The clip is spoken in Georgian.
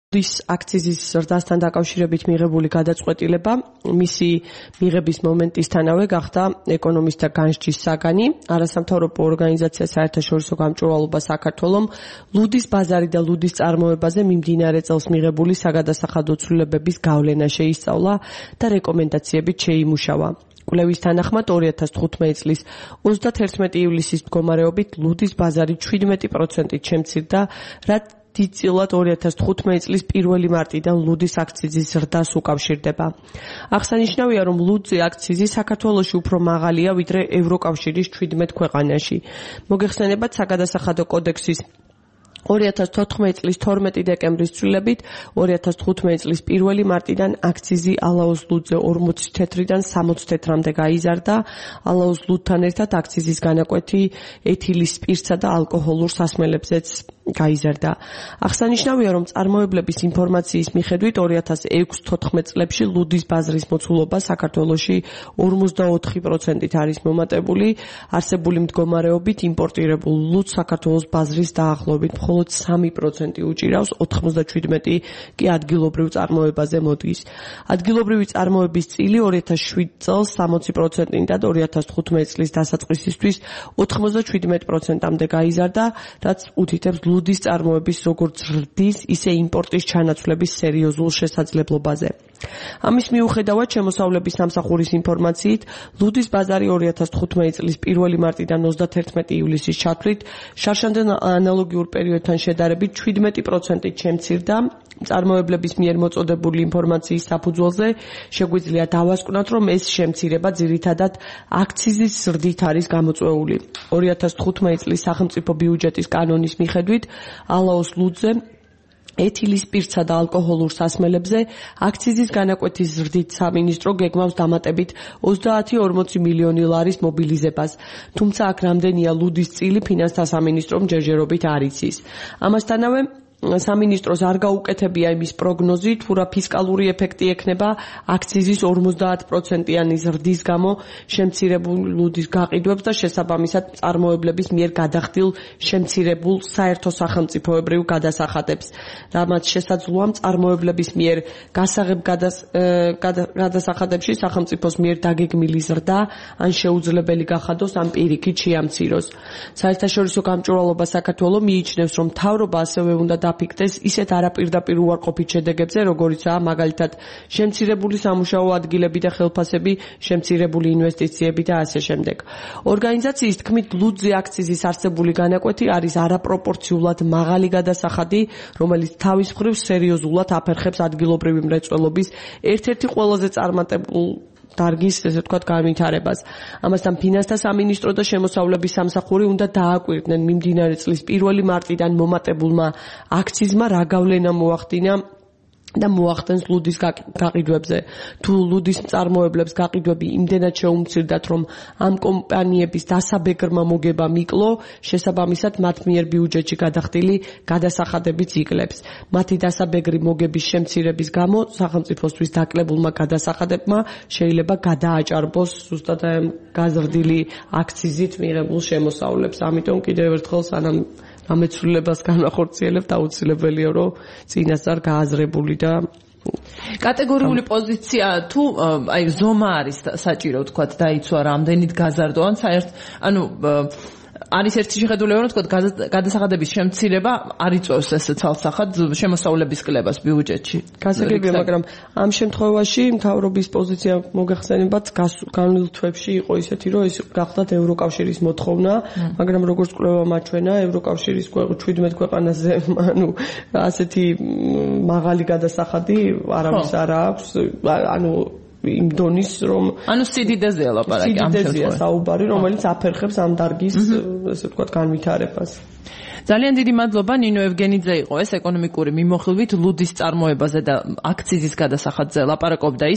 ლუდის აქციზის ზრდასთან დაკავშირებით მიღებული გადაწყვეტილება მისი მიღების მომენტისთანავე გახდა ეკონომისტთა განსჯის საგანი. არასამთავრობო ორგანიზაცია საერთაშორისო გამჭვირვალობა საქართველომ ლუდის ბაზარი და ლუდის წარმოებაზე მიმდინარე წელს მიღებული საგადასახადო ცვლილებების გავლენა შეისწავლა და რეკომენდაციებით შეიმუშავა. კვლევის თანახმად 2015 წლის 31 ივლისის მდგომარეობით ლუდის ბაზარი 17%-ით შემცირდა, რაც დიდწილად 2015 წლის 1 მარტიდან ლუდის აქციზის ზრდას უკავშირდება. აღსანიშნავია, რომ ლუდზე აქციზი საქართველოში უფრო მაღალია, ვიდრე ევროკავშირის 17 ქვეყანაში. მოგეხსენებათ საგადასახადო კოდექსის 2014 წლის 12 დეკემბრის ცვლილებით 2015 წლის 1 მარტიდან აქციზი ალაუს ლუდზე 40 თეთრიდან 60 თეთრამდე გაიზარდა. ალაუს ლუდთან ერთად აქციზის განაკვეთი ეთილის სპირტსა და ალკოჰოლურ სასმელებზეც გაიზარდა. აღსანიშნავია, რომ წარმოებლების ინფორმაციის მიხედვით 2006-14 წლებში ლუდის ბაზრის მოცულობა საქართველოში 44%-ით არის მომატებული. არსებული მდგომარეობით იმპორტირებულ ლუდს საქართველოს ბაზრის დაახლოებით მხოლოდ 3% უჭირავს, 97 კი ადგილობრივ წარმოებაზე მოდის. ადგილობრივი წარმოების წილი 2007 წელს 60%-იდან 2015 წლის დასაწყისისთვის 97%-მდე გაიზარდა, რაც უთითებს ლუდის წარმოების როგორც ზრდის, ისე იმპორტის ჩანაცვლების სერიოზულ შესაძლებლობაზე. ამის მიუხედავად, შემოსავლების სამსახურის ინფორმაციით, ლუდის ბაზარი 2015 წლის 1 მარტიდან 31 ივლისის ჩათვლით შარშანდელ ანალოგიურ პერიოდთან შედარებით 17%-ით შემცირდა. წარმოებლების მიერ მოწოდებული ინფორმაციის საფუძველზე შეგვიძლია დავასკვნათ, რომ ეს შემცირება ძირითადად აქციზის ზრდით არის გამოწვეული. 2015 წლის სახელმწიფო ბიუჯეტის კანონის მიხედვით ალაუს ლუდზე ეთილის სპირტსა და ალკოჰოლურ სასმელებზე აქციზის განაკვეთის ზრდით სამინისტრო გეგმავს დამატებით 30-40 მილიონი ლარის მობილიზებას. თუმცა აქ რამდენია ლუდის წილი ფინანსთა სამინისტრომ ჯერჯერობით არ იცის. ამასთანავე სამინისტროს არ გაუკეთებია იმის პროგნოზი, თუ რა ფისკალური ეფექტი ექნება აქციზის 50%-იანი ზრდის გამო შემცირებულ ლუდის გაყიდვებს და შესაბამისად წარმოებლების მიერ გადახდილ შემცირებულ საერთო სახელმწიფოებრივ გადასახადებს. რამაც შესაძლოა წარმოებლების მიერ გასაღებ გადასახადებში სახელმწიფოს მიერ დაგეგმილი ზრდა ან შეუძლებელი გახადოს ან პირიქით შეამციროს. საერთაშორისო გამჭვირვალობა საქართველოს მიიჩნევს, რომ მთავრობა ასევე უნდა დაფიქრდეს ისეთ არაპირდაპირ უარყოფით შედეგებზე, როგორიცაა მაგალითად შემცირებული სამუშაო ადგილები და ხელფასები, შემცირებული ინვესტიციები და ასე შემდეგ. ორგანიზაციის თქმით, ლუდზე აქციზის არსებული განაკვეთი არის არაპროპორციულად მაღალი გადასახადი, რომელიც თავის მხრივ სერიოზულად აფერხებს ადგილობრივი მრეწველობის ერთ-ერთი ყველაზე წარმატებულ დარგის, ესე ვთქვათ, განვითარებას. ამასთან ფინანსთა სამინისტრო და შემოსავლების სამსახური უნდა დააკვირდნენ მიმდინარე წლის 1 მარტიდან მომატებულმა აქციზმა რა გავლენა მოახდინა და მოახდენს ლუდის გაყიდვებზე. თუ ლუდის წარმოებლებს გაყიდვები იმდენად შეუმცირდათ, რომ ამ კომპანიების დასაბეგრმა მოგება მიკლო, შესაბამისად მათ მიერ ბიუჯეტში გადახდილი გადასახადებიც იკლებს. მათი დასაბეგრი მოგების შემცირების გამო სახელმწიფოსთვის დაკლებულმა გადასახადებმა შეიძლება გადააჭარბოს ზუსტად გაზრდილი აქციზით მიღებულ შემოსავლებს. ამიტომ კიდევ ერთხელ სანამ ამეცვლილებას განახორციელებთ, აუცილებელია, რომ წინასწარ გააზრებული და კატეგორიული პოზიცია თუ აი ზომა არის საჭირო თქვათ დაიცვა რამდენით გაზარდო ან საერთოდ ანუ არის ერთი შეხედულება რომ თქვათ გადასახადების შემცირება არ იწვევს ეს ცალსახად შემოსავლების კლებას ბიუჯეტში. გასაგებია, მაგრამ ამ შემთხვევაში მთავრობის პოზიცია მოგეხსენებათ განვლილ თვეებში იყო ისეთი, რომ ეს გახდათ ევროკავშირის მოთხოვნა, მაგრამ როგორც კვლევა მაჩვენა, ევროკავშირის 17 ქვეყანაზე ანუ ასეთი მაღალი გადასახადი არავის არ აქვს, ანუ იმ დონის რომ ანუ სიდიდეზეა ლაპარაკი ამ შემთხვევაში საუბარი, რომელიც აფერხებს ამ დარგის ესე ვთქვათ განვითარებას. ძალიან დიდი მადლობა ნინო ევგენიძე იყო ეს ეკონომიკური მიმოხილვით ლუდის წარმოებაზე და აქციზის გადასახადზე ლაპარაკობდა.